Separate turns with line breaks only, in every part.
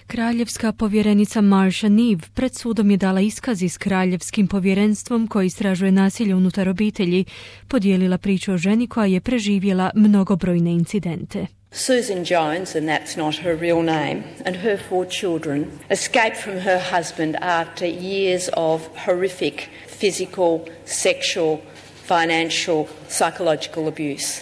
Kraljevska povjerenica Marsha Neave pred sudom je dala iskaz s kraljevskim povjerenstvom koji istražuje nasilje unutar obitelji, podijelila priču o ženi koja je preživjela mnogobrojne incidente.
Susan Jones, and that's not her real name, and her 4 children escaped from her husband after years of horrific physical, sexual, financial, psychological abuse.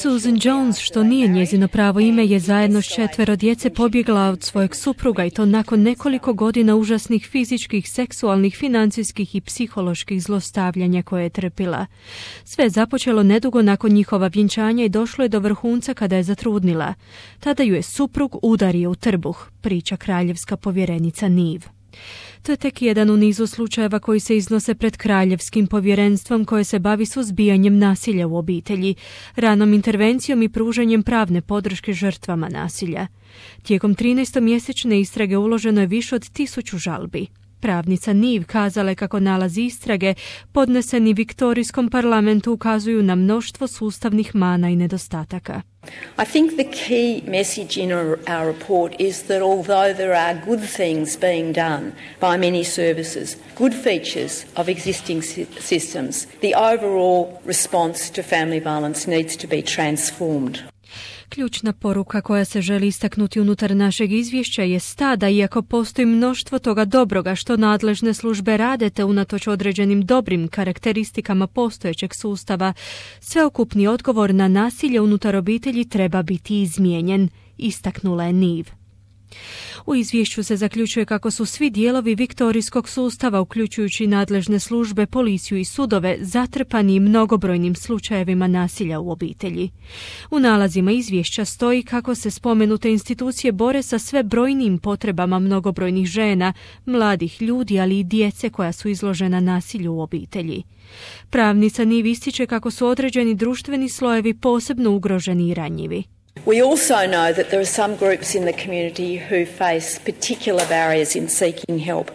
Susan Jones, što nije njezino pravo ime, je zajedno s 4 djece pobjegla od svojeg supruga i to nakon nekoliko godina užasnih fizičkih, seksualnih, financijskih i psiholoških zlostavljanja koje je trpila. Sve je započelo nedugo nakon njihova vjenčanja i došlo je do vrhunca kada je zatrudnila. Tada ju je suprug udario u trbuh, priča kraljevska povjerenica Neave. To je tek jedan u nizu slučajeva koji se iznose pred kraljevskim povjerenstvom koje se bavi suzbijanjem nasilja u obitelji, ranom intervencijom i pružanjem pravne podrške žrtvama nasilja. Tijekom 13-mjesečne istrage uloženo je više od 1000 žalbi. Pravnica Neave kazala je kako nalazi istrage podneseni Viktorijskom parlamentu ukazuju na mnoštvo sustavnih mana i nedostataka.
I think the key message in our report is that although there are good things being done by many services, good features of existing systems, the overall response to family violence needs to be transformed.
Ključna poruka koja se želi istaknuti unutar našeg izvješća je ta da iako postoji mnoštvo toga dobroga što nadležne službe rade te unatoč određenim dobrim karakteristikama postojećeg sustava, sveukupni odgovor na nasilje unutar obitelji treba biti izmijenjen, istaknula je Neave. U izvješću se zaključuje kako su svi dijelovi viktorijskog sustava, uključujući nadležne službe, policiju i sudove, zatrpani mnogobrojnim slučajevima nasilja u obitelji. U nalazima izvješća stoji kako se spomenute institucije bore sa sve brojnijim potrebama mnogobrojnih žena, mladih ljudi, ali i djece koja su izložena nasilju u obitelji. Pravnica Neave ističe kako su određeni društveni slojevi posebno ugroženi i ranjivi.
We also know that there are some groups in the community who face particular barriers in seeking help.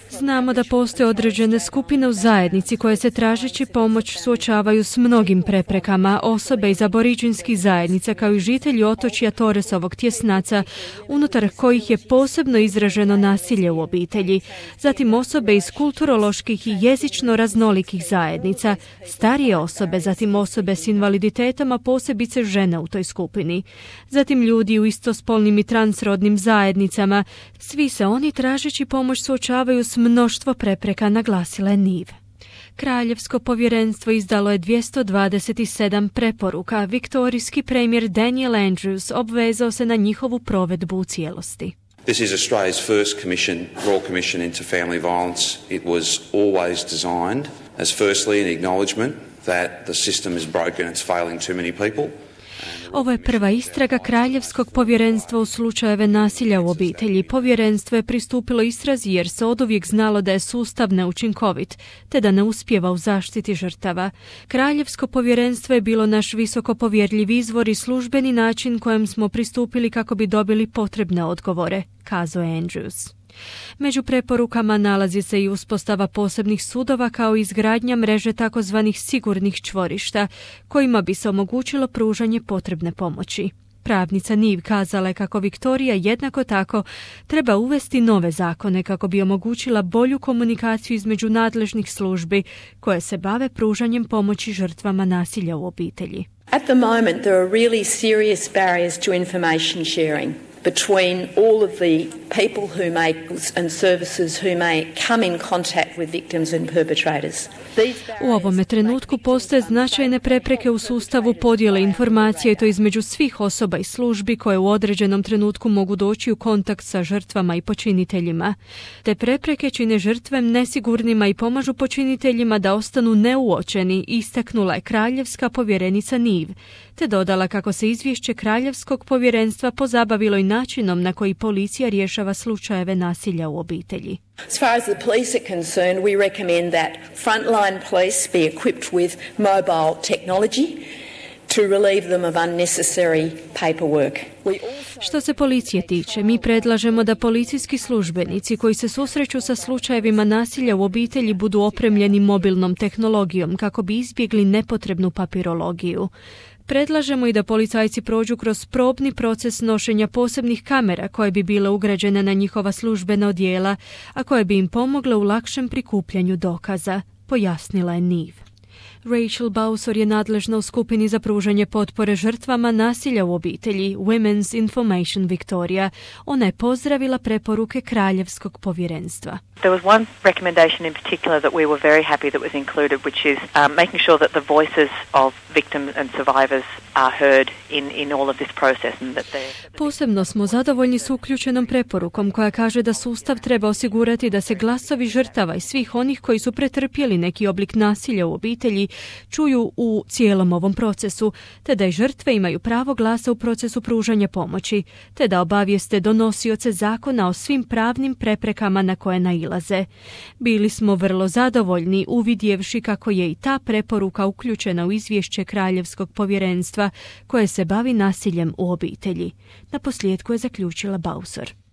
Znamo da postoje određene skupine u zajednici koje se tražeći pomoć suočavaju s mnogim preprekama, osobe iz aboriđinskih zajednica kao i žitelji otočja Torresovog tjesnaca, unutar kojih je posebno izraženo nasilje u obitelji, zatim osobe iz kulturoloških i jezično raznolikih zajednica, starije osobe, zatim osobe s invaliditetom, a posebice žene u toj skupini, zatim ljudi u istospolnim i transrodnim zajednicama. Svi se oni tražeći pomoć suočavaju s mnoštvo prepreka, naglasila je Neave. Kraljevsko povjerenstvo izdalo je 227 preporuka. Viktorijski premijer Daniel Andrews obvezao se na njihovu provedbu u cijelosti.
This is Australia's first Royal Commission into family violence. It was always designed as firstly an acknowledgement that the system is broken, it's failing too many people.
Ovo je prva istraga Kraljevskog povjerenstva u slučajeve nasilja u obitelji. Povjerenstvo je pristupilo istrazi jer se oduvijek znalo da je sustav neučinkovit, te da ne uspijeva u zaštiti žrtava. Kraljevsko povjerenstvo je bilo naš visoko povjerljiv izvor i službeni način kojem smo pristupili kako bi dobili potrebne odgovore, kazao je Andrews. Među preporukama nalazi se i uspostava posebnih sudova kao i izgradnja mreže takozvanih sigurnih čvorišta, kojima bi se omogućilo pružanje potrebne pomoći. Pravnica Neave kazala je kako Viktorija jednako tako treba uvesti nove zakone kako bi omogućila bolju komunikaciju između nadležnih službi koje se bave pružanjem pomoći žrtvama nasilja u obitelji.
At the moment there are really serious barriers to information sharing between all of the people who may and services who may come in contact with victims and perpetrators.
U ovome trenutku postoje značajne prepreke u sustavu podjele informacije i to između svih osoba i službi koje u određenom trenutku mogu doći u kontakt sa žrtvama i počiniteljima. Te prepreke čine žrtve nesigurnima i pomažu počiniteljima da ostanu neuočeni, istaknula je kraljevska povjerenica Neave, te dodala kako se izvješće Kraljevskog povjerenstva pozabavilo i načinom na koji policija rješava slučajeve nasilja u obitelji.
As far as the police are concerned, we recommend that frontline police be equipped with mobile technology to relieve them of unnecessary paperwork.
Što se policije tiče, mi predlažemo da policijski službenici koji se susreću sa slučajevima nasilja u obitelji budu opremljeni mobilnom tehnologijom kako bi izbjegli nepotrebnu papirologiju. Predlažemo i da policajci prođu kroz probni proces nošenja posebnih kamera koje bi bile ugrađene na njihova službena odijela, a koje bi im pomogle u lakšem prikupljanju dokaza, pojasnila je Nive. Rachel Bowser je nadležna u skupini za pružanje potpore žrtvama nasilja u obitelji Women's Information Victoria. Ona je pozdravila preporuke Kraljevskog povjerenstva.
There was one recommendation in particular that we were very happy that was included, which is making sure that the voices of victims and survivors are heard in all of this process.
Posebno smo zadovoljni s uključenom preporukom koja kaže da sustav treba osigurati da se glasovi žrtava i svih onih koji su pretrpjeli neki oblik nasilja u obitelji čuju u cijelom ovom procesu, te da i žrtve imaju pravo glasa u procesu pružanja pomoći, te da obavijeste donosioce zakona o svim pravnim preprekama na koje nailaze. Bili smo vrlo zadovoljni uvidjevši kako je i ta preporuka uključena u izvješće Kraljevskog povjerenstva koje se bavi nasiljem u obitelji. Naposljetku je zaključila Bowser.